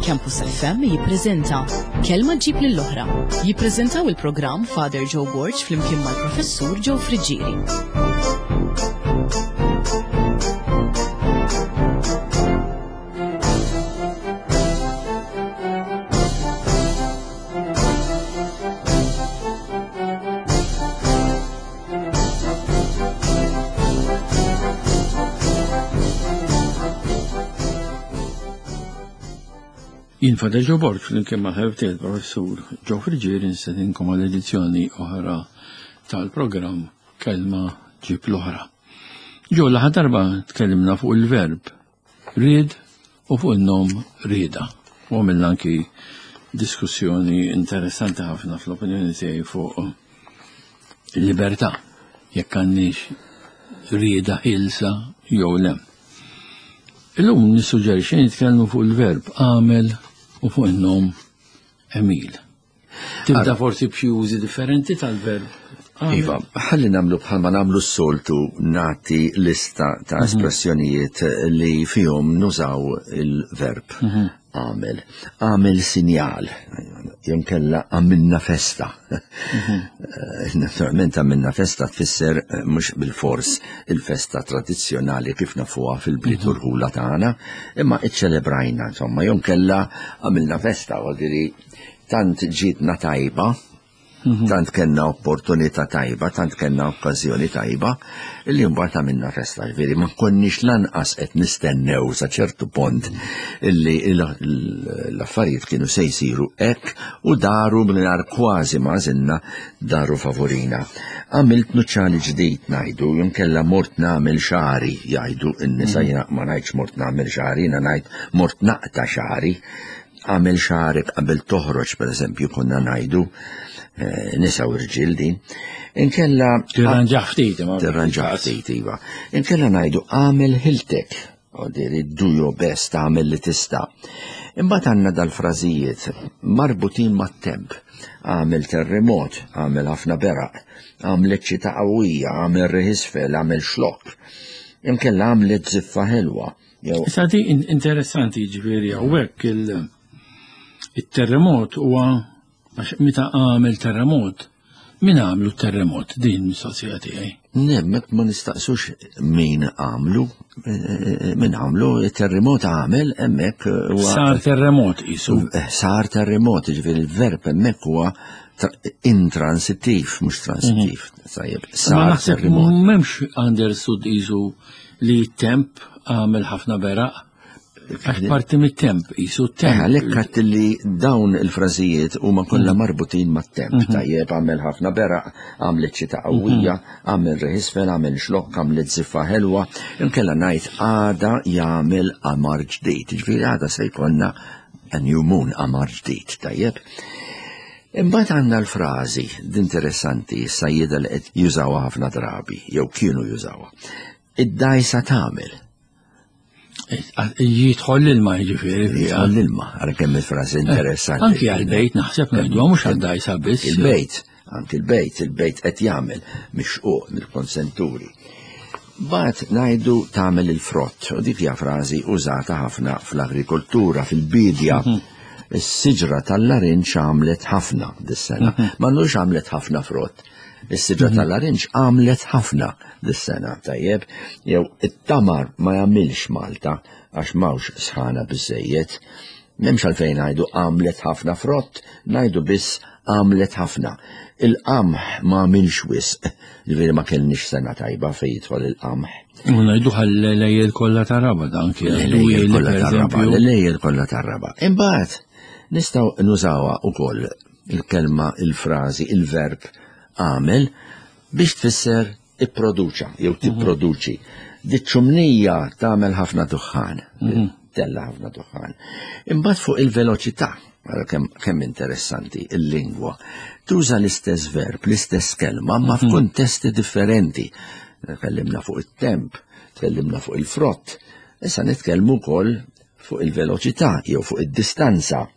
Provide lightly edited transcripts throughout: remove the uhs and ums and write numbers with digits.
Campus FM jippreżenta Kelma ġib lill-oħra. Jippreżentaw il-programm Father Joe Borg flimkien mal-Professur Joe Friggieri. Jien Father Joe Borg flimkien ma' ħebti il-Professur Joe Friggieri nistedinkom għal edizzjoni oħra tal-programm Kelma Ġib l-Oħra. Ġo l darba tkellimna fuq il-verb Ried u fuq in-nom rieda. U għamilna anki diskussjoni interessanti ħafna fl-opinjoni tiegħi fuq il-libertà jekk għandniex rieda ħilsa jew le. Illum nissuġġerixxi nitkellmu fuq il-verb għamel u fuq in-nom Emil. Tibda forsi b'xi użi differenti tal-verb. Iva, ħalli namlu bħalma namlu s-soltu nati lista ta' mhm. espressjonijiet li fihom nużaw il-verb mhm. għamel. Għamel sinjal, jenkella għamilna festa. Mhm. Eh, naturalment għamilna festa tfisser eh, mhux bil-fors il-festa tradizzjonali kif nafuha fil-bliet u l-ħula tagħna, imma iċċelebrajna, insomma, jonkella għamilna festa, għodiri tant ġietna tajba, mhm. tant kellna opportunità tajba, tant kellna okkażjoni tajba, li mbagħad għamilna festa, ġifieri ma konniex lanqas qed nistennew sa ċertu pont illi l-affarijiet kienu se jsiru hekk u daru mingħajr kważi ma żilna daru favorina. Għamilt nuċċali ġdid ngħidu, jinkella mort nagħmel xari jgħidu n-nisa mhm. jiena ma ngħidx mort nagħmel xari, jiena ngħid mort naqta' xari. Għamel xarek qabel toħroġ, per eżempju, konna ngħidu eh, nisa u rġil din. Inkella. Tirranġa ftit, ma. Tirranġa ftit, iva. Inkella ngħidu għamel ħiltek, diri do your best, għamel li tista'. Imbagħad għandna dal-frażijiet marbutin mat-temp. Għamel terremot, għamel ħafna beraq, għamlet xita qawwija, għamel riħisfel, għamel xlok. Inkella għamlet ziffa ħelwa. Issa di interessanti ġifieri hawnhekk il-terremot huwa għax meta għamel terremot, min għamlu terremot din mistoqsija tiegħi. Nemmek ma nistaqsux min għamlu, eh, eh, min għamlu, terremot għamel hemmhekk huwa. Sar terremot isu. Eh, sar terremot, ġifieri il-verb hemmhekk huwa intransittiv, mhux transittiv. Mhm. Tajjeb, sar terremot. M'hemmx understood isu li temp għamel ħafna beraq. Għax parti mit-temp, jisu temp. Eh, għalhekk għadt li dawn il-frażijiet huma kollha mm. marbutin mat-temp. Mhm. Tajjeb għamel ħafna beraq, għamlet xita qawwija, mhm. għamel reħisfel, għamel xlokk, għamlet ziffa ħelwa, inkella ngħid għada jagħmel qamar ġdid. Ġifieri għada se jkollna a new moon, qamar ġdid, tajjeb. Imbagħad għandna l-frażi interessanti s-sajjieda li qed jużawha ħafna drabi, jew kienu jużawha. Id-dajsa tagħmel. Jidħol l-ilma jiġifieri. Jidħol l-ilma, għara kemm il-frażi eh, interessanti. Anki għal-bejt naħseb ngħidu mhux għad-dajsa biss. Il-bejt, anki l-bejt, il-bejt qed jagħmel mixquq mill-konsenturi. Bat ngħidu tagħmel il-frott, u dik hija frażi użata ħafna fl-agrikoltura, fil-bidja. Mhm. Is-siġra tal-larinġ għamlet ħafna dis-sena. Mhm. Ma nux għamlet ħafna frott. Is-siġra mhm. tal-larinġ għamlet ħafna dis-sena, tajjeb, jew it-tamar ma jagħmilx Malta għax m'hawnx sħana biżejjed. M'hemmx għalfejn ngħidu għamlet ħafna frott, ngħidu biss għamlet ħafna. Il-qamħ ma għamilx wisq, ġifieri ma kellniex sena tajba fejn jidħol il-qamħ. U ngħidu ħall-lejjel kollha tar-raba dan kien. L-lejjel kollha tar-raba, l-lejjel kollha tar-raba. Imbagħad nistgħu nużawha wkoll il-kelma, il-frażi, il-verb għamel biex tfisser ipproduċa jew mhm. tipproduċi. Diċ-ċumnija tagħmel ħafna duħħan, mhm. tella ħafna duħħan. Imbagħad fuq il-veloċità, kemm interessanti il-lingwa, tuża l-istess verb, l-istess kelma, ma mhm. f'kuntesti differenti. Tkellimna fuq it-temp, tkellimna fuq il-frott, issa nitkellmu wkoll fuq il-veloċità jew fuq id-distanza.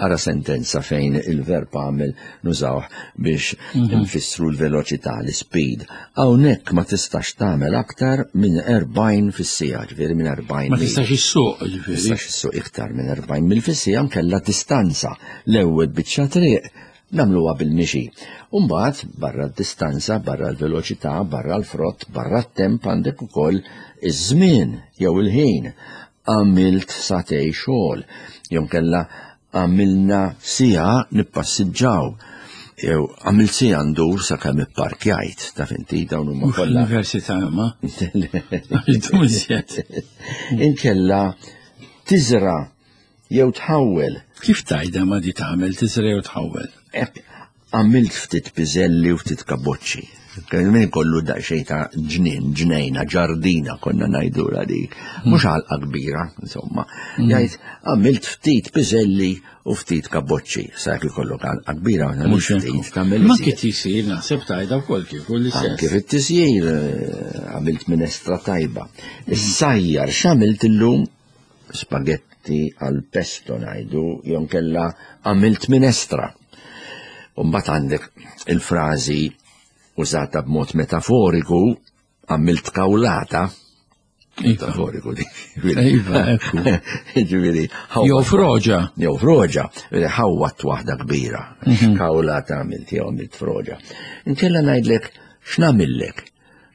Ara sentenza fejn il-verb għamel nużawh biex nfissru l-veloċità, l-speed. Hawnhekk ma tistax tagħmel aktar minn 40 fis-siegħa, ġifieri minn 40. Ma tistax issuq, ġifieri. Tistax issuq iktar minn 40 mil fis-siegħa nkella distanza. L-ewwel biċċa triq nagħmluha bil-mixi. U mbagħad barra d-distanza, barra l-veloċità, barra l-frott, barra t-temp għandek ukoll iż-żmien jew il-ħin. Għamilt sagħtejn xogħol, jew nkella għamilna siegħa nippassiġġaw, jew għamilt siegħa ndur sakemm ipparkjajt, taf inti dawn huma kollha. Università ma. Inkella tiżra jew tħawwel. Kif tajda ma di tagħmel tiżra jew tħawwel? Għamilt ftit piżelli u ftit kaboċċi. Min kollu daqsxejn ta' ġnien, ġnejna, ġardina konna ngħidulha dik. Mhux għalqa kbira, insomma. Jgħid għamilt ftit piżelli u ftit kaboċċi. Sa jekk ikollok għalqa kbira, mhux ftit tagħmel. Ma kif tisir naħseb tajda wkoll kif u l-istess. Anke fit-tisjir għamilt minestra tajba. Is-sajjar x'għamilt illum? Spagetti għal pesto ngħidu, jew nkella għamilt minestra. U mbagħad għandek il-frażi użata b'mod metaforiku, għamilt kawlata. Metaforiku di. Iva, ekku. Ġifieri, Jew froġa. Jew froġa, ħawwat waħda kbira. Kawlata għamilt jew għamilt froġa. Inkella ngħidlek x'nagħmillek?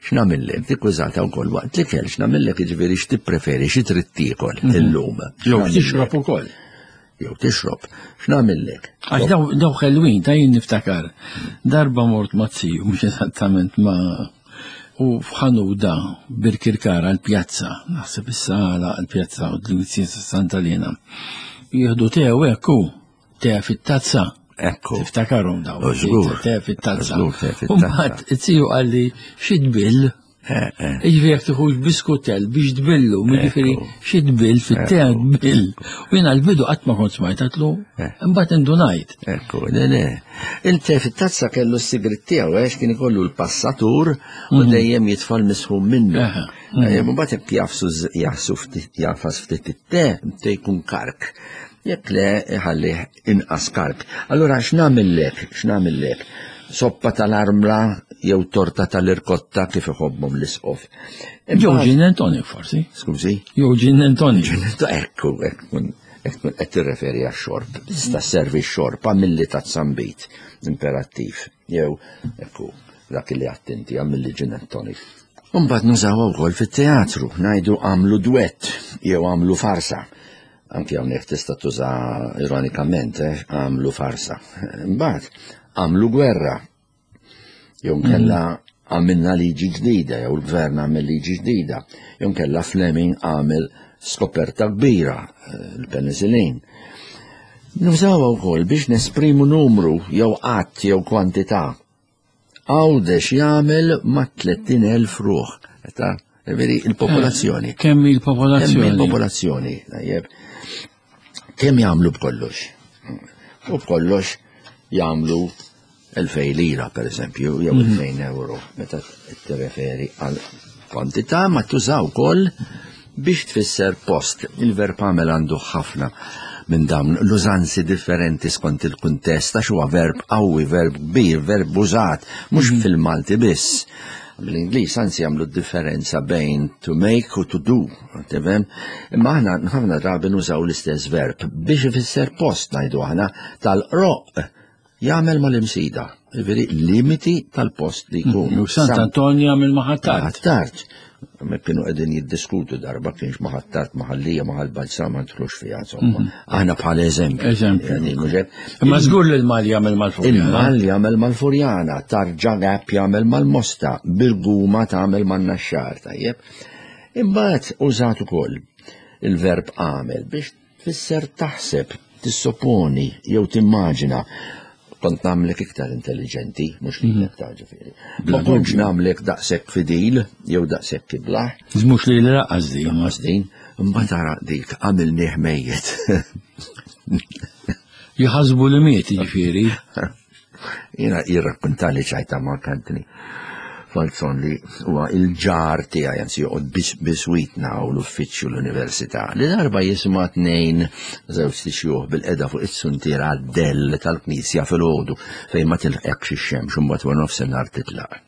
X'nagħmillek? Dik użata wkoll waqt l-ikel, x'nagħmillek jiġifieri x'tippreferi, xi trid tiekol illum. Jew tixrob ukoll. Jew tixrob. X'nagħmillek? Għax daw ħelwin, ta' jien niftakar. Darba mort ma' ziju, mhux eżattament ma' u f'ħanuda Birkirkara l-pjazza, naħseb issa għala l-pjazza u d-Lwizzi Santa Lena. Jieħdu te u hekk hu, te fit-tazza. Ekku. Tiftakarhom daw. Żgur. Te fit-tazza. Żgur, te fit-tazza. U mbagħad it-tiju qalli xi tbill. Jiġifieri jekk tieħux biskutell biex tbillu, jiġifieri xi tbill fit-te tbill. U jiena l-bidu qatt ma kont smajt għatlu, imbagħad indunajt. Ekku, le le. Il-te fit-tazza kellu s-sigrit tiegħu għax kien ikollu l-passatur u dejjem jitfa' l-misħun minnu. Mbagħad jekk jafsu jafsu ftit jafas ftit it-te, te jkun kark. Jekk le iħallih inqas kark. Allura x'nagħmillek? X'nagħmillek? Soppa tal-armla jew torta tal-irkotta kif iħobbhom l-isqof. Jew gin and tonic forsi. Skużi? Jew gin and tonic. Gin and tonic, ekku, ekku, ekku qed tirreferi għax-xorb. Tista' sservi x-xorb għamilli ta' zambit imperattiv. Jew, ekku, dak li għedt inti għamilli gin and tonic. Imbagħad nużawha wkoll fit-teatru, ngħidu għamlu duett jew għamlu farsa. Anki hawnhekk tista' tuża ironikament, għamlu farsa. Imbagħad għamlu gwerra. Jew nkella għamilna liġi ġdida, jew il-gvern għamel liġi ġdida, jew nkella Fleming għamel skoperta kbira, il-penicillin. Nużawha wkoll biex nesprimu numru jew għadd jew kwantità. Għawdex jagħmel ma' 30,000 ruħ. Ta' veri il-popolazzjoni. Kemm il-popolazzjoni? Kemm il-popolazzjoni, tajjeb. Kemm jagħmlu b'kollox? U b'kollox jagħmlu 2000 lira, per eżempju, jew 2000 euro, meta tirreferi għal kwantità, ma tużaw ukoll biex tfisser post. Il-verb għamel għandu ħafna minn dawn l-użanzi differenti skont il-kuntest, għax huwa verb qawwi, verb kbir, verb użat, mhux fil-Malti biss. Bl-Ingliż anzi jagħmlu differenza bejn to make u to do, tifhem? Imma aħna ħafna drabi nużaw l-istess verb biex ifisser post ngħidu aħna tal-qroq jagħmel mal-imsida, jiġifieri limiti tal-post li jkun. U Sant Anton jagħmel ma' Ħ'Attard. Ħ'Attard. Me kienu qegħdin jiddiskutu darba kienx ma' Ħ'Attard, ma' Ħal Lija, ma' Ħal Balzan, ma nidħlux fiha, insomma. Aħna bħala eżempju. Eżempju. Yani, mhux hekk? Imma żgur li l-Mal jagħmel mal-Furjana. Il-Mal jagħmel mal-Furjana, Tarġa Gap jagħmel mal-Mosta, Birguma tagħmel man-Naxxar, tajjeb. Imbagħad użat ukoll il-verb għamel biex tfisser taħseb, tissopponi jew timmaġina. Kont nagħmlek iktar intelligenti, mhux lilek ta' ġifieri. Ma kontx nagħmlek daqshekk fidil jew daqshekk iblaħ. Mhux li l-raqqas din. Raqqas din, imbagħad ara dik għamilnieh mejjet. Jħasbu li miet, jiġifieri. Jiena jirrakkuntali ċajta Mark Anthony. Falzon li huwa il-ġar tiegħi anzi joqgħod biswitna u l-uffiċċju l-università. Li darba jisma' tnejn żewġ tixjuħ bil-qeda fuq is-suntiera għad-dell tal-knisja filgħodu fejn ma tilħqekx ix-xemx u mbagħad wara nofsinhar titlaq.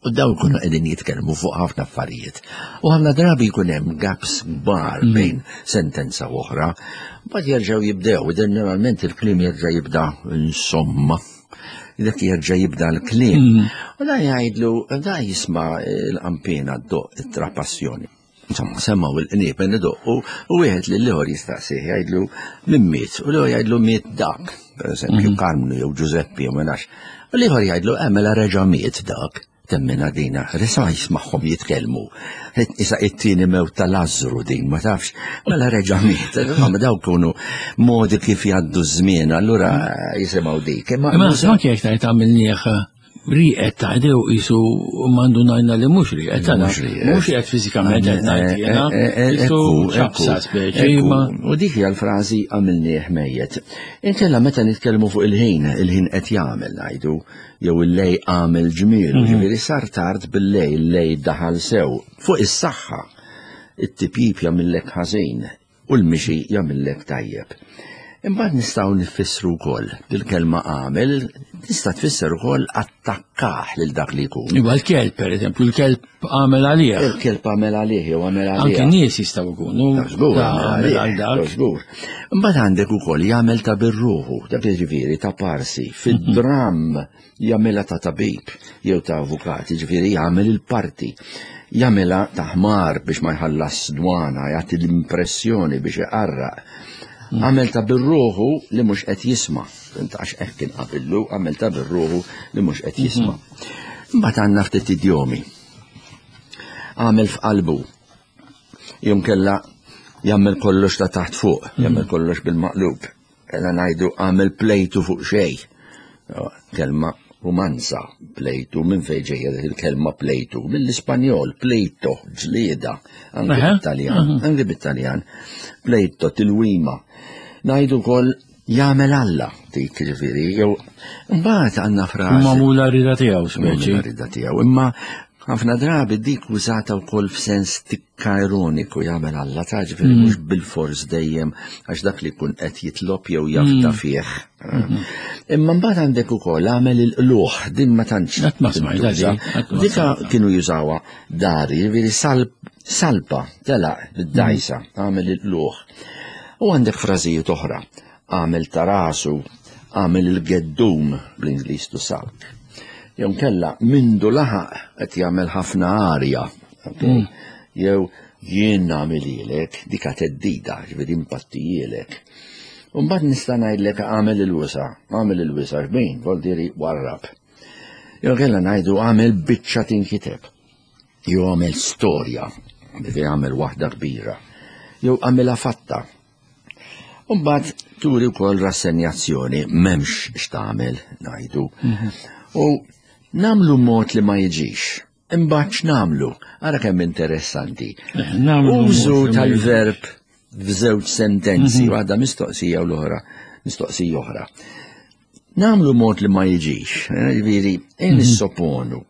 U daw kunu qegħdin jitkellmu fuq ħafna affarijiet. U ħafna drabi jkun hemm gaps kbar bejn sentenza u oħra. Mbagħad jerġgħu jibdew, ġeneralment il-kliem jerġa' jibda insomma. Dak jerġa' jibda l-kliem. U da jgħidlu, da jisma' l-qampina ddoq it-trapassjoni. Insomma, semmaw il-qniepen idoqqu u wieħed lil ieħor jistaqsih jgħidlu min miet u l-ieħor jgħidlu miet dak, pereżempju Karmnu jew Ġużeppi jew ma nafx. U l-ieħor jgħidlu eh mela reġa' miet dak. Temmina dina, risa jismagħhom jitkellmu. Isa it-tieni mewt ta' Lazzru din, ma tafx, mela reġa' miet. Insomma, dawk kunu modi kif jgħaddu ż-żmien, allura jisimgħu dik. Imma anke jekk tgħid għamilnieh riqet ta' dew isu mandu najna li mhux riqet ta' mhux riqet fiżikament qed ngħid jiena. Isu ċapsa speċi ma. U dik hija l-frażi għamilnieh mejjet. Inkella meta nitkellmu fuq il-ħin, il-ħin qed jagħmel ngħidu, jew il-lej għamel ġmiel, ġifieri sar tard bil-lej, il-lej daħal sew. Fuq is-saħħa, it-tipjip jagħmillek ħażin u l-mixi jagħmillek tajjeb. Imbagħad nistgħu nifissru wkoll bil-kelma għamel tista' tfisser ukoll attakkah lil dak li jkun. Iva l-kelb pereżempju, l-kelb għamel għalih. Il-kelb għamel għalih jew għamel għalih. Anke nies jistgħu jkunu. Żgur, għamel għal dak. Żgur. Imbagħad għandek ukoll jagħmel ta' birruħu, dak jiġifieri ta' parsi, fid-dramm jagħmilha ta' tabib jew ta' avukat, jiġifieri jagħmel il-parti. Jagħmilha ta' ħmar biex ma jħallas dwana, jagħti l-impressjoni biex iqarraq. Għamel ta' birruħu li mhux qed jisma'. Għax hekk kien qabillu, għamel ta' birruħu li mhux qed jisma'. Imbagħad għandna ftit idjomi. Għamel f'qalbu. Jum kella jagħmel kollox ta' taħt fuq, jagħmel kollox bil-maqlub. Kella ngħidu għamel plejtu fuq xejn. Kelma rumanza, plejtu, minn fejn ġejja dik il-kelma plejtu? Mill-Ispanjol, plejto, ġlieda, anke bit-Taljan, anke bit-Taljan. Plejto, tilwima. Ngħidu wkoll jagħmel Alla dik ġifieri, jew mbagħad għandna frażi. Magħmula rida tiegħu speċi. Rida tiegħu, imma ħafna drabi dik użata wkoll f'sens tikka ironiku jagħmel Alla ta' ġifieri mhux bilfors dejjem għax dak li jkun qed jitlob jew jafda fih. Imma mbagħad għandek ukoll għamel il-qluħ din ma tantx. Qatt ma smajtha di, qatt ma Dika kienu jużawha dari, ġifieri salpa telaq bid-dgħajsa, għamel il-qluħ. U għandek frażijiet oħra, għamel ta' rasu, għamel il-geddum bl-Ingliż to sulk. Jew kella mindu laħaq qed jagħmel ħafna arja. Jew jien nagħmililek, dika teddida, ġifieri impattijielek. U mbagħad nista' ngħidlek għamel il-wisa, għamel il-wisa xbejn, voldiri warrab. Jew kella ngħidu għamel biċċa tinkiteb. Jew għamel storja, ġifieri għamel waħda kbira. Jew għamilha fatta. U mbagħad turi wkoll rassenjazzjoni, m'hemmx x'tagħmel ngħidu. U nagħmlu mod li ma jiġix. Imbagħad x'nagħmlu? Ara kemm interessanti. Nagħmlu Użu mod li ma tal-verb f'żewġ sentenzi, waħda mistoqsija u l-oħra mistoqsija oħra. Nagħmlu mod li ma jiġix, ġifieri, nissoponu,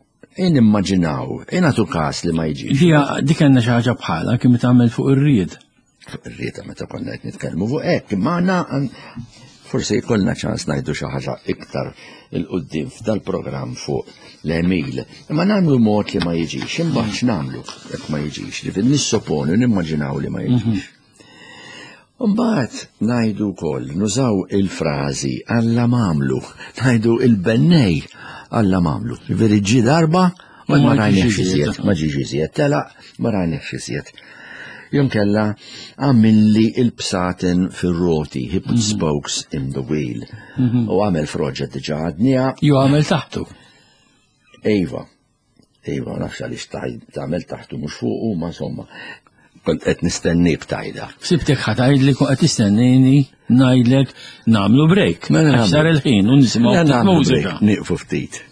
nimmaġinaw, nagħtu każ li ma jiġix. Dija, dik għandna xi ħaġa bħala kemm tagħmel fuq ir-ried. Fuq ir-rieda meta konna qed nitkellmu fuq hekk, imma għandna forsi jkollna ċans ngħidu xi ħaġa iktar il-qudiem f'dal-programm fuq l-għemil. Imma nagħmlu mod li ma jiġix, imbagħad x'nagħmlu jekk ma jiġix, ġifieri nissoponu, nimmaġinaw li ma jiġix. Imbagħad ngħidu wkoll, nużaw il-frażi Alla m'għamlu, ngħidu il-bennej Alla m'għamlu. Ġifieri ġie darba u ma rajniex iżjed, ma ġiex iżjed, telaq ma rajniex iżjed. Jum kella għamilli il-bsaten fir-roti, he put spokes in the wheel. U għamel froġa diġa għadnija. Ju għamel taħtu. Ejva, ejva, nafx għaliex tagħmel taħtu mhux fuqu, ma insomma. Kont qed nistennik tajda. Sibtek ħa tgħidli kont qed tistennini ngħidlek nagħmlu break. Mela Għax sar nagħmlu. il-ħin u nisimgħu Mela ftit nagħmlu mużika. break, nieqfu ftit.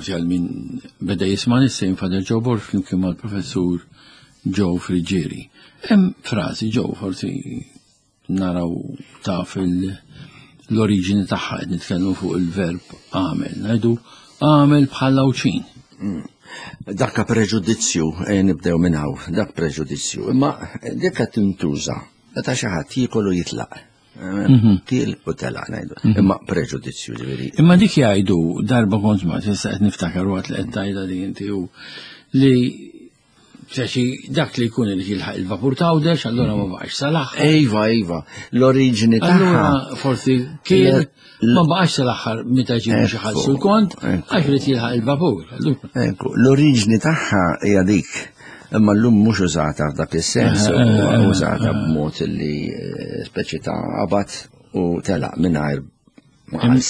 Forsi għal min beda jisma' nissejn Father Joe Borg flimkien mal-Professur Joe Friggieri. Hemm frażi Joe forsi naraw taf l-oriġini tagħha qed nitkellmu fuq il-verb għamel. Ngħidu għamel bħal Għawdxin. Dakka preġudizzju, eh, nibdew minn hawn, dak preġudizzju. Imma dik qed tintuża meta xi ħadd jiekol u jitlaq. Mhm. Til u telaq ngħidu. Mhm. Imma preġudizzju ġifieri. Imma dik jgħidu darba kont ma issa qed niftakar waqt li qed tgħidha li inti u li Xi dak li jkun irid jilħaq il-vapur tawdex, allura ma baqax sal-aħħar. Iva, iva, l-oriġini tagħha. Allura forsi kien ma baqax sal-aħħar meta ġie biex iħallsu l-kont, għax irid jilħaq il-vapur. Ekku, l-oriġini tagħha hija dik. Imma llum mhux użata f'dak is-sens, eh, eh, eh, użata b'mod li speċi ta' qabad u telaq mingħajr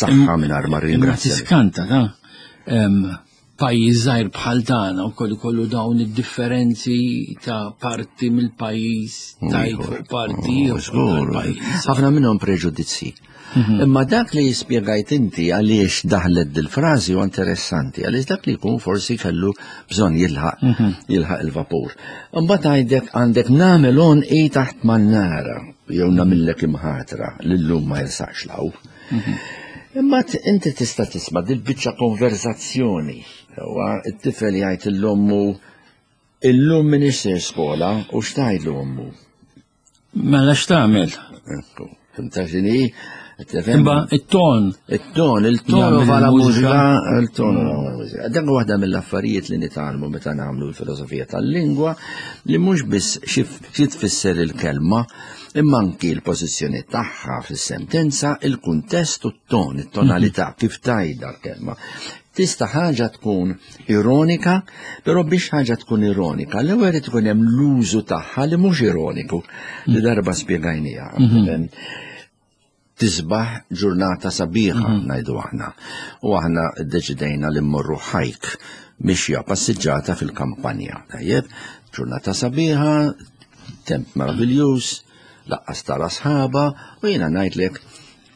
saħħa mingħajr ma ringrazzja. Tiskanta ta' pajjiż żgħir bħal tagħna wkoll ikollu dawn id-differenzi ta' parti mill-pajjiż tajt fuq parti ieħor. Ħafna minnhom preġudizzji. Mhm. Imma dak li jispjegajt inti għaliex daħlet dil-frażi u interessanti, għaliex dak li jkun forsi kellu bżonn jilħaq mhm. jilħaq il-vapur. Imbagħad għandek għandek nagħmel on i taħt mannara jew nagħmillek imħatra li llum ma jirsaqx law. Mhm. Imma inti tista' tisma' dil-biċċa konverzazzjoni. Huwa t-tifel jgħid l-ommu illum minix ser skola u x'tgħidlu ommu. Mela x'tagħmel? Ekku, fimta x'inhi? Imma it-ton. It-ton, il-ton vala mużika, il-ton vala mużika. Dak waħda mill-affarijiet li nitgħallmu meta nagħmlu l-filosofija tal-lingwa li mhux biss xi tfisser il-kelma, imma anki l-pożizzjoni tagħha fis-sentenza, il-kuntest u t-ton, it-tonalità, kif tgħidha l-kelma. Tista' ħaġa tkun ironika, però biex ħaġa tkun ironika, l-ewwel irid ikun hemm l-użu tagħha li mhux ironiku, li mm. darba spjegajniha. Mhm. Tisbaħ ġurnata sabiħa mhm. ngħidu aħna. U aħna ddeċidejna li mmorru ħajk mixja passiġġata fil-kampanja. Tajjeb, ġurnata sabiħa, temp meraviljuż, laqqas tara sħaba u jiena ngħidlek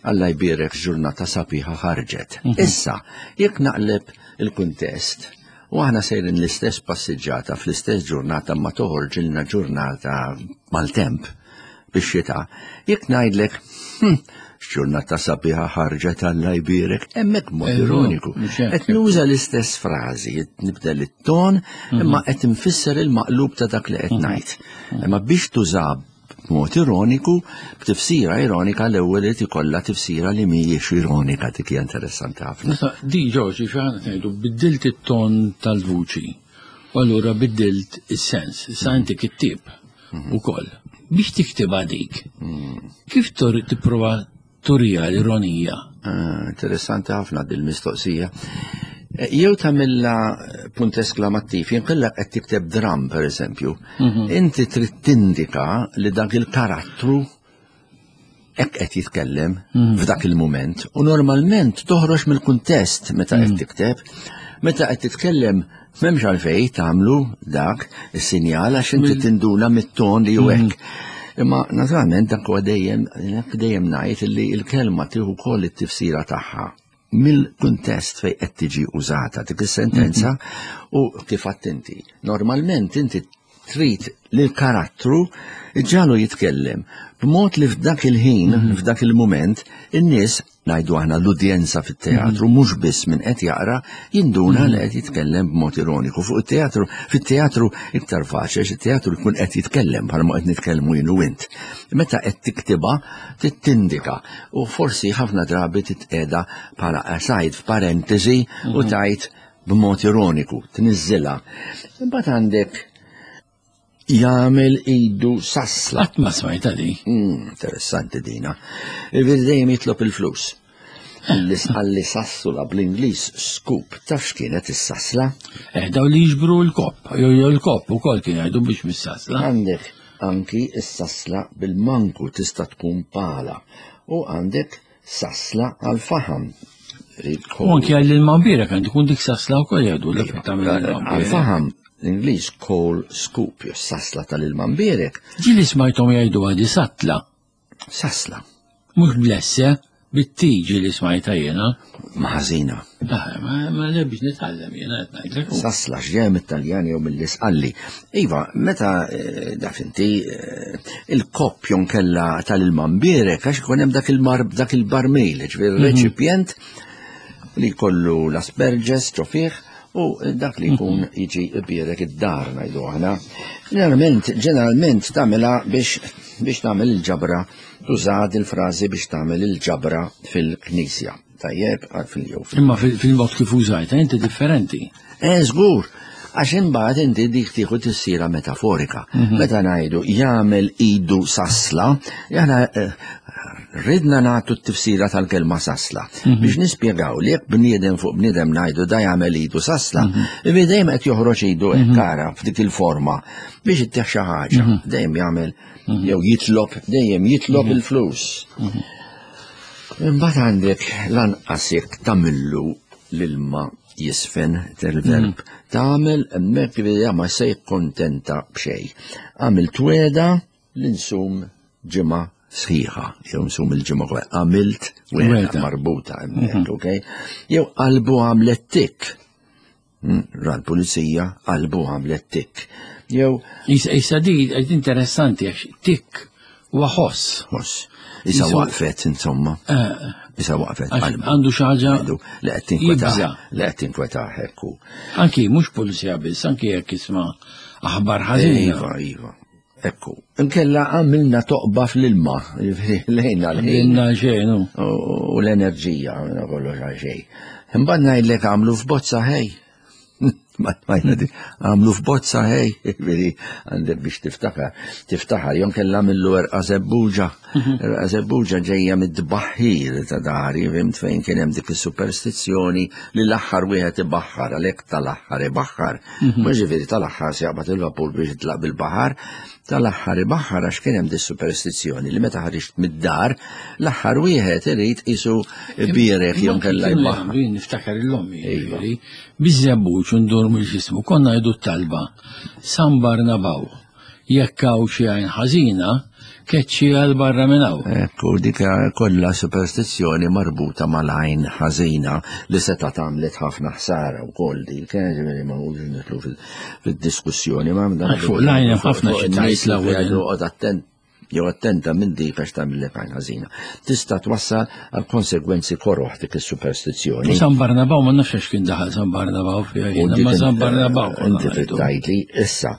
Alla jbierek ġurnata sabiħa ħarġet. Mhm. Issa, jekk naqleb il-kuntest, u aħna sejrin l-istess passiġġata fl-istess ġurnata ma toħorġilna ġurnata mal-temp bix-xita, jekk ngħidlek, hm, ġurnata sabiħa ħarġet Alla jbierek, hemmhekk mod eh, ironiku. Qed nuża l-istess frażi, nibdel it-ton, mhm. imma qed infisser il-maqlub ta' dak li qed mhm. ngħid. Imma biex tuża B'mod ironiku, b'tifsira ironika l-ewwel irid ikollha tifsira li mhijiex ironika dik hija interessanti ħafna. Issa di Ġorġi xi ħadd ngħidu biddilt it-ton tal-vuċi u allura biddilt is-sens. Issa mm. inti kittieb mm. ukoll. Biex tiktibha dik, mm. kif tipprova turija l-ironija? Ah, interessanti ħafna dil-mistoqsija. Eh, jew tagħmilha eh, punt esklamattiv, jinkella qed tikteb dram pereżempju, mhm. inti trid tindika li dak il-karattru hekk qed jitkellem mhm. f'dak il-mument u normalment toħroġ mill-kuntest meta qed mhm. tikteb, meta qed titkellem M'hemmx għalfejn tagħmlu dak is-sinjal għax inti tinduna mit-ton li hu hekk. Imma naturalment dak huwa dejjem dejjem ngħid li l-kelma tieħu wkoll it-tifsira tagħha mill-kuntest fejn qed tiġi użata dik is-sentenza mhm. u kif għadt inti. Normalment inti trid li l-karattru ġalu jitkellem b'mod li f'dak il-ħin, mhm. f'dak il-mument, in-nies ngħidu aħna l-udjenza fit-teatru mhm. mhux biss min qed jaqra jinduna li qed jitkellem b'mod ironiku. Fuq it-teatru, fit-teatru iktar faċli għax it-teatru jkun qed jitkellem bħalma qed nitkellmu jien u int. Meta qed tiktibha tindika u forsi ħafna drabi titqeda bħala aside f'parentesi u mhm. tajt b'mod ironiku, tniżżilha. Imbagħad għandek jagħmel idu sasla. Qatt ma smajta di. Mm, interessanti dina. Il-veri dejjem jitlob il-flus. Għalli sassula bl-Ingliż scoop, taf x'kienet is-sasla? Eh, daw li jiġbru l-kopp, jew l-kopp ukoll kien jgħidu biex mis-sasla. Għandek anki s-sasla bil-manku tista' tkun pala u għandek sasla għal-faħam. U anki għall-ilma kan tkun dik sasla wkoll jgħidu l Għal-faħam l-Ingliż coal scoop, jew sasla tal-ilma mbierek. Ġieli smajthom jgħidu għadi satla. Sasla. Mhux blesse. Bit-tiġi li smajta jiena. Ma ħażina. Ah, ma le biex nitgħallem jiena qed ngħidlek. Sasla x'ġej mit-Taljan jew mill-Isqalli. Iva, meta eh, daf inti eh, il-koppjon kella tal-ilma mbierek għax ikun hemm dak il-mar dak il-barmil, ġifieri mhm. reċipjent li kollu l-asperges ġo fih u dak li jkun mhm. jiġi bierek id-dar ngħidu aħna. Ġeneralment, ġeneralment tagħmilha biex biex tagħmel il-ġabra Tuża il-frażi biex tagħmel il-ġabra fil-knisja. Tajjeb, fil-jew. Imma fil-mod kif użajta inti differenti. Eh, żgur, għax imbagħad inti dik tieħu tissira metaforika. Mhm. Meta ngħidu jagħmel idu sasla, jana eh, ridna nagħtu t-tifsira tal-kelma sasla mhm. biex nispjegaw li jekk bniedem fuq bniedem ngħidu da jagħmel idu sasla, mm dejjem qed joħroġ idu hekk ara f'dik il-forma biex ittieħ xi ħaġa, dejjem jagħmel Mhm. Jew jitlob, dejjem jitlob mhm. il-flus. Mhm. Imbagħad għandek lanqas jekk tagħmillu l-ilma jisfen tal-verb. Tagħmel hemmhekk li ma se jikkontenta b'xejn. Għamil tweda li nsum ġimgħa sħiħa, jew nsum il-ġimgħa kollha. Għamilt weda marbuta hemmhekk, okej? Jew qalbu għamlet tik. Hmm, ra l-pulizija qalbu għamlet tik. Jew. Issa di interessanti għax tik huwa ħoss. Ħoss. Issa waqfet insomma. Eh. Issa waqfet. Għandu xi ħaġa li qed tinkwetah. Li qed tinkwetah hekk. Anki mhux pulizija biss, anki jekk isma' aħbar ħażina. Iva, iva. Ekku, inkella għamilna toqba fl-ilma, lejna l-ħin. xejn. U l-enerġija, għamilna kollox għal xejn. Imbagħad ngħidlek għamlu f'bozza ħej. Għamlu f'bozza ħej, ġifieri għandek biex tiftakar. Tiftakar, jom kella għamillu erqa zebbuġa. Mhm. Erqa zebbuġa ġejja mid-dbaħħir ta' dari, fimt fejn kien hemm dik is-superstizzjoni li l-aħħar wieħed ibaħħar, għalhekk tal-aħħar ibaħħar. Mhm. Mhux ġifieri tal-aħħar se jaqbad il-vapur biex jitlaq bil-baħar, tal-aħħar ibaħħar għax kien hemm dis superstizzjoni li meta ħariġt mid-dar, l-aħħar wieħed irid isu bierek jew kellha jbaħħar. Jien niftakar il-lommi, iva. ġifieri, biż-żebbuġ ndur mill-ġismu, konna jdu talba San Barnabaw. Jekk hawn xi għajn ħażina, keċċi għal barra minn hawn. Ekku, dik kollha superstizzjoni marbuta mal-għajn ħażina li seta' tagħmlet ħafna ħsara wkoll dik, eh, ġifieri ma nqogħdux nidħlu fid-diskussjoni ma' Fuq l-għajn hemm ħafna xi tgħid l-ewwel. Oqgħod attent jew attenta minn dik għax tagħmillek għajn ħażina. Tista' twassal għal konsegwenzi koroħ dik is-superstizzjoni. San Barnabaw ma nafx għax kien daħal San Barnabaw fiha jiena, ma San Barnabaw. Inti trid tgħidli issa,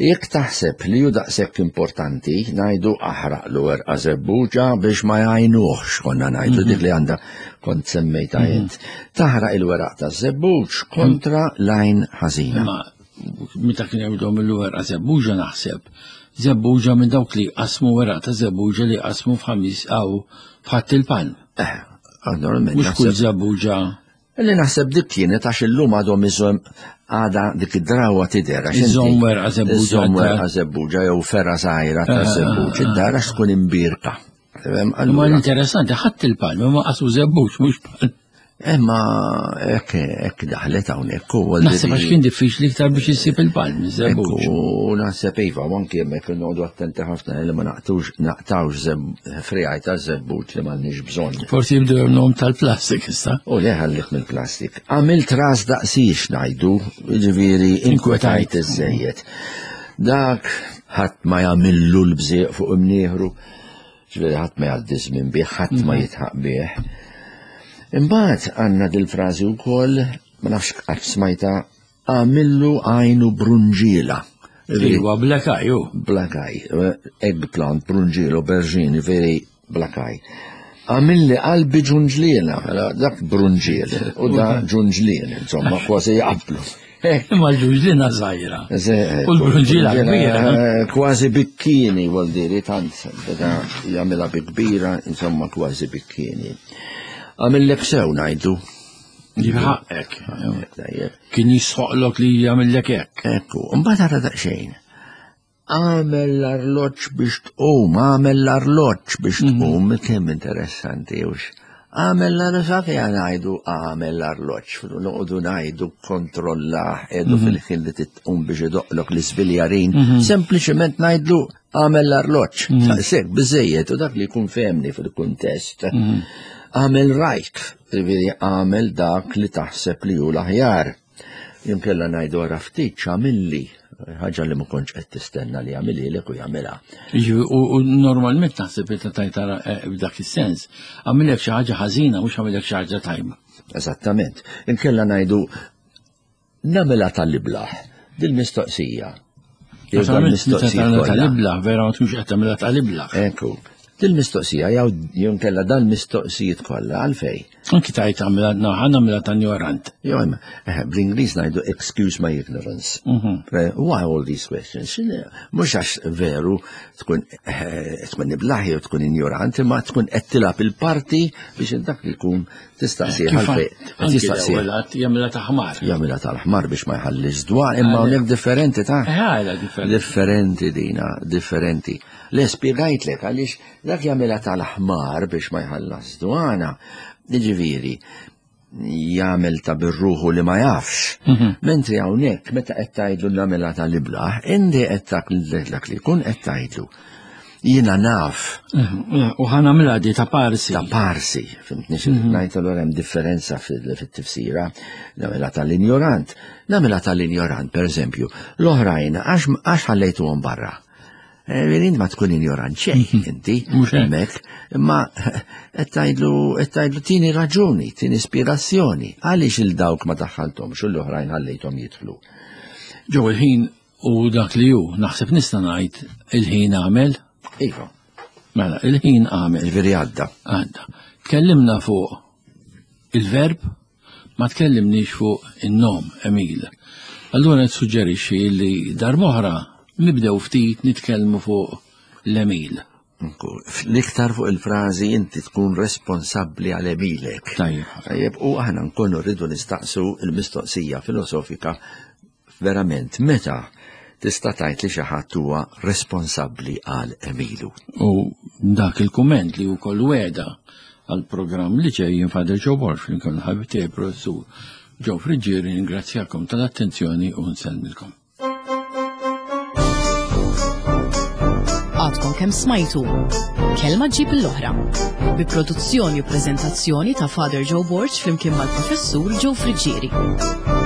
jekk taħseb li hu daqshekk importanti, ngħidu aħraqlu erqa' żebbuġa biex ma jgħinuhx konna ngħidu mhm. dik li għandha kont semmejta mhm. int. Taħraq il-weraq taż-żebbuġ kontra l-għajn ħażina. Meta kien jgħidhom il-werqa żebbuġa naħseb Żebbuġa minn dawk li qasmu weraq ta' żebbuġa li qasmu f'ħamis għaw f'ħadd il-palm. Eh, normalment. Mhux kull żebbuġa. Li naħseb dik kienet għax illum għadhom iżom għada dik id-drawa tidher. Iżom werqa żebbuġa. Iżom werqa żebbuġa jew ferra żgħira ta' eh, żebbuġ. Eh, id-dar għax tkun imbirka. Ma interessanti, ħadd il-palm, ma qasu żebbuġ mhux palm. Imma hekk hekk daħlet hawnhekk u Naħseb għax kien diffiċli iktar biex issib il-palm, żebbuġ. U naħseb iva, u anki hemmhekk noqogħdu attenti ħafna li ma naqtux naqtawx frijaj ta' żebbuġ li m'għandniex bżonn. Forsi jibdew jagħmluhom tal-plastik issa. U le ħallik mill-plastik. Għamilt ras daqsix ngħidu, jiġifieri inkwetajt iżejjed. Dak ħadd ma jagħmillu l-bżieq fuq imnieħru. Ġifieri ħadd ma jgħaddi żmien bih, ħadd ma mhm. jitħaq bih. Imbagħad għandna dil-frażi wkoll, ma nafx qatt smajta, għamillu għajnu brunġiela. Iwa, blakaj, u. Blakaj, eggplant, brunġielo, aubergine, veri blakaj. Għamilli qalbi ġunġliena, dak brunġiel, u da ġunġlien, insomma, kważi jaqblu. Imma l-ġunġlina żgħira. U l-brunġila kbira. Eh, kważi bikkini, vuol dire, tant beda jagħmilha bi kbira, insomma kważi bikkini. Għamillek sew ngħidu. Jibħaqek. Kien jisħoqlok li jagħmillek hekk. Ekku, mbagħad ara daqsxejn. Għamel l-arloġġ biex tqum, għamel l-arloġġ biex mhm. tqum, kemm interessanti hux. Għamel l-arloġġ, ngħidu għamel l-arloġġ, noqogħdu ngħidu kontrollah, edu mhm. fil-ħin li titqum biex idoqlok l-iżviljarin, mhm. sempliċement ngħidlu għamel l-arloġġ. Sek, biżejjed u dak li jkun femni fil-kuntest. Għamel rajk, jiġifieri għamel dak li taħseb li hu l-aħjar. Jinkella ngħidu ara ftit x'għamilli, ħaġa li ma kontx qed tistenna li jagħmililek u jagħmilha. U normalment taħseb li tajt eh, b'dak is-sens, għamilek xi ħaġa ħażina mhux għamilek xi ħaġa tajba. Eżattament. Inkella ngħidu nagħmilha tal-iblaħ dil-mistoqsija. Dil-mistoqsija tal-iblaħ, vera ma tkunx qed tagħmilha tal-iblaħ. Ekku. Dil-mistoqsija jew jew inkella dal-mistoqsijiet kollha għalfej. Anki tajt għamilha naħa nagħmilha ta' ignorant. Jew hemm, eh, bl-Ingliż ngħidu excuse my ignorance. Mhm. Eh, why all these questions? Mhux għax veru tkun eh, tkun iblaħ jew tkun ignorant, imma tkun qed tilgħab il-parti biex dak li jkun tistaqsih għalfej. Tistaqsih. Jagħmilha ta' ħmar. Jagħmilha tal-ħmar biex ma jħallix dwar, imma hawnhekk differenti ta' Differenti dina, differenti. Le spjegajtlek għaliex dak jagħmilha tal-ħmar biex ma jħallas dwana. Jiġifieri, jagħmel ta' birruħu li ma jafx. Mhm. Mentri hawnhekk meta qed tgħidlu nagħmilha tal-iblaħ, inti qed dak li jkun qed tgħidlu. Jiena naf. Mhm. U ħa nagħmilha di ta' parsi. Ta' parsi, fimtni xi mhm. ngħid allura hemm differenza fit-tifsira. Nagħmilha tal-injorant. Nagħmilha tal-injorant, pereżempju, l-oħrajn għax ħallejtuhom barra. Eh, int ma tkun injorant xejn mhm. inti, hemmhekk, imma qed tgħidlu tini raġuni, tini ispirazzjoni, għaliex il dawk ma daħħalthomx u l-oħrajn ħallejthom jidħlu. Ġew il-ħin u dak li hu, naħseb nista' ngħid il-ħin għamel. Iva. Mela, il-ħin għamel. Ġifieri għadda. Għadda. Tkellimna fuq il-verb Ma tkellimniex fuq in-nom, Emil. Allura nissuġġerixxi li darb'oħra nibdew ftit nitkellmu fuq l-Emil. L-iktar fuq il-frażi inti tkun responsabbli għal għemilek. Tajjeb. Tajjeb, u aħna nkunu rridu nistaqsu l-mistoqsija filosofika verament meta tista' tgħid li xi ħadd huwa responsabbli għal għemilu. U dak il-kumment li wkoll wegħda għall-programm li ġej jien Father Joe Borg flimkien mal-ħabib tiegħi Professur Joe Friggieri ningrazzjakom tal-attenzjoni u nsellmilkom. Għadkom kemm smajtu Kelma ġib l-oħra bi produzzjoni u preżentazzjoni ta' Father Joe Borg flimkien mal-Professur Joe Friggieri.